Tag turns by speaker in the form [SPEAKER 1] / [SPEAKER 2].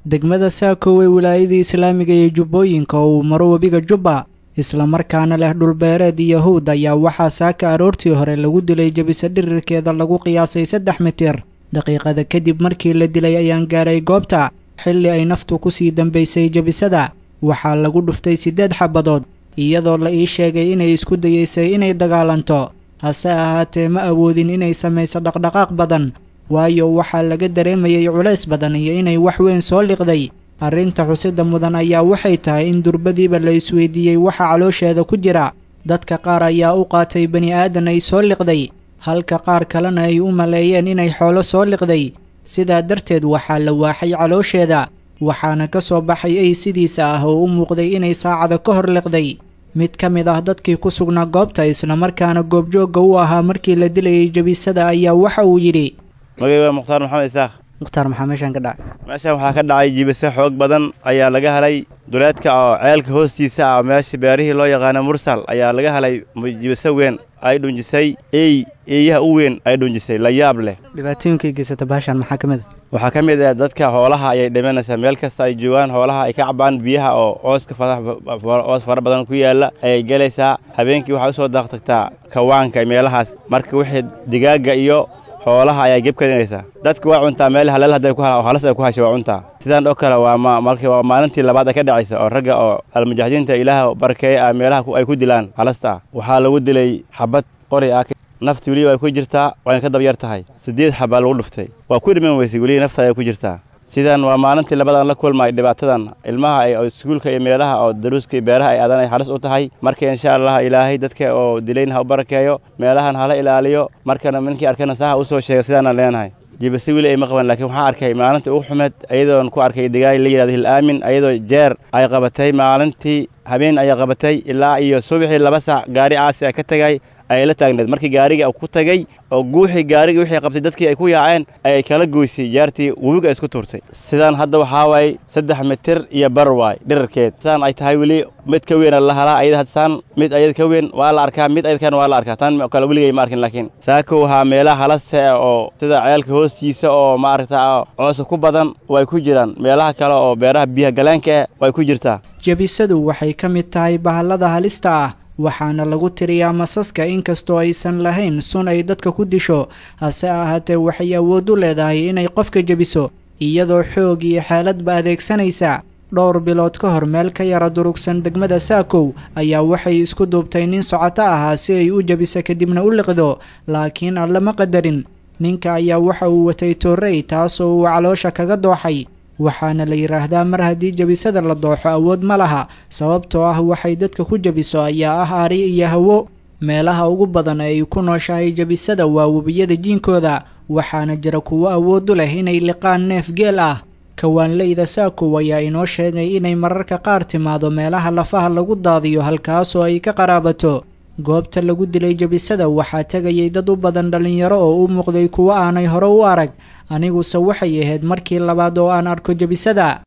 [SPEAKER 1] Degmada Saakow ee wilaayada islaamiga ee Jubbooyinka oo uu maro webiga Jubba, islamarkaana leh dhulbeereed iyo hawd, ayaa waxaa saaka aroortii hore lagu dilay jabisa dhirirkeeda lagu qiyaasay 3 mitir. Daqiiqada kadib markii la dilay ayaan gaaray goobta xilli ay naftu kusii dambaysay. Jabisada waxaa lagu dhuftay 8 xabadood, iyadoo la ii sheegay inay isku dayeysay inay dagaalanto, hase ahaatee ma awoodin inay samayso dhaqdhaqaaq badan, waayo waxaa laga dareemayay culays badan iyo inay wax weyn soo liqday. Arrinta xusida mudan ayaa waxay tahay in durbadiiba la isweydiiyey waxa caloosheeda ku jira. Dadka qaar ayaa u qaatay bani aadan ay soo liqday, halka qaar kalena ay u maleeyeen inay xoolo soo liqday. Sidaa darteed waxaa la waaxay caloosheeda, waxaana ka soo baxay ay sidiisa ah oo u muuqday inay saacada ka hor liqday. Mid ka mid ah dadkii ku sugnaa goobta, islamarkaana goobjoogga u ahaa markii la dilayay jabisada, ayaa waxa uu yidhi:
[SPEAKER 2] Magay waa Mukhtaar Maxamed Isaaq.
[SPEAKER 1] Mukhtaar, maxaa meeshaan ka dhacay?
[SPEAKER 2] Meeshan waxaa ka dhacay jibise xoog badan ayaa laga helay duleedka oo ceelka hoostiisa ah, meesha beerihii loo yaqaano Mursal ayaa laga helay jibise weyn ay dhunjisay ey, eeyaha u weyn ay dhunjisay, la yaab leh.
[SPEAKER 1] Dhibaatooyinkay geysata bahashan maxaa ka mid a?
[SPEAKER 2] Waxaa ka mid ah dadka xoolaha ayay dhimanaysaa. Meel kasta ay joogaan xoolaha ay ka cabaan biyaha oo cooska coos fara badan ku yaalla ayay gelaysaa. Habeenkii waxay usoo daaqtagtaa kawaanka meelahaas. Marka wixii digaagga iyo xoolaha ayaa geb karinaysaa. Dadka waa cuntaa, meel haleel hadday ku halas ay ku hasho waa cuntaa. Sidaan oo kale waa markii waa maalintii labaad ay ka dhacaysa oo ragga oo almujaahidiinta Ilaah barkeeye ah meelaha ay ku dilaan halasta ah. Waxaa lagu dilay xabad qori ah. Nafti weliba ay ku jirtaa, wayna ka dab yar tahay. 8 xabaa lagu dhuftay, waa ku dhiman weysay, weliba nafta ayay ku jirtaa. Sidan waa maalintii labadan la kulmay dhibaatadan. Ilmaha ay iskuulka iyo meelaha oo daruuska iyo beeraha ay aadan ay halis u tahay. Marka insha Allah Ilaahay dadka oo dilayn ha u barakeeyo, meelahan hala ilaaliyo. Markana ninkii arkana saha usoo sheega, sidaanaan leenahay. Jibase weli ay ma qaban, laakiin waxaan arkay maalintii ugu xumeed ayadoon ku arkay degaay la yidhahdo Hilaamin, ayadoo jeer ay qabatay. Maalintii habeen ayay qabatay, ilaa iyo subaxii 2 saac gaari caasi ah ka tagay ayay la taagneed. Markii gaariga ku tagay oo guuxii gaarigii wixii qabtay dadkii ay ku yaaceen, ayay kala goysay jaartii, webiga ay isku tuurtay. Sidaan hadda waxaa waaye 3 mitir iyo bar waay dhirarkeed. Sidaan ay tahay weli mid ka weyn la halaa ayada. Hadsaan mid ayada ka weyn waa la arkaa, mid ayada kan waa la arkaa, tan kale weligay ma arkin. Laakiin saako waxaa meelaha halasta oo sida ceelka hoostiisa oo maaragta coosa ku badan way ku jiraan, meelaha kale oo beeraha biyaha galeenka ah way ku jirtaa.
[SPEAKER 1] Jabisadu waxay ka mid tahay bahallada halista ah, waxaana lagu tiriyaa masaska. Inkastoo aysan lahayn sun ay dadka ku disho, hase ahaatee waxay awood u leedahay inay qofka jebiso iyadoo xoog iyo xeeladba adeegsanaysa. Dhowr bilood ka hor, meel ka yara durugsan degmada Saakow ayaa waxay isku duubtay nin socoto ahaa si ay u jebiso kadibna u liqdo, laakiin Alle ma qadarin. Ninka ayaa waxa uu watay toorrey, taasoo uu caloosha kaga dooxay. Waxaana la yidhaahdaa mar haddii jabisada la dooxo awood ma laha, sababtoo ah waxay dadka ku jebiso ayaa ah ari iyo hawo. Meelaha ugu badan ee ay ku nooshahay jabisada waa webiyada jiinkooda, waxaana jira kuwo awood u leh inay liqaan neef geel ah. Kawaanleyda Saakow ayaa inoo sheegay inay mararka qaar timaado meelaha lafaha lagu daadiyo, halkaasoo ay ka qaraabato. Goobta lagu dilay jabisada waxaa tegayay dad u badan dhallinyaro oo u muuqday kuwo aanay hore u arag. Aniguse waxay ahayd markii labaad oo aan arko jabisada.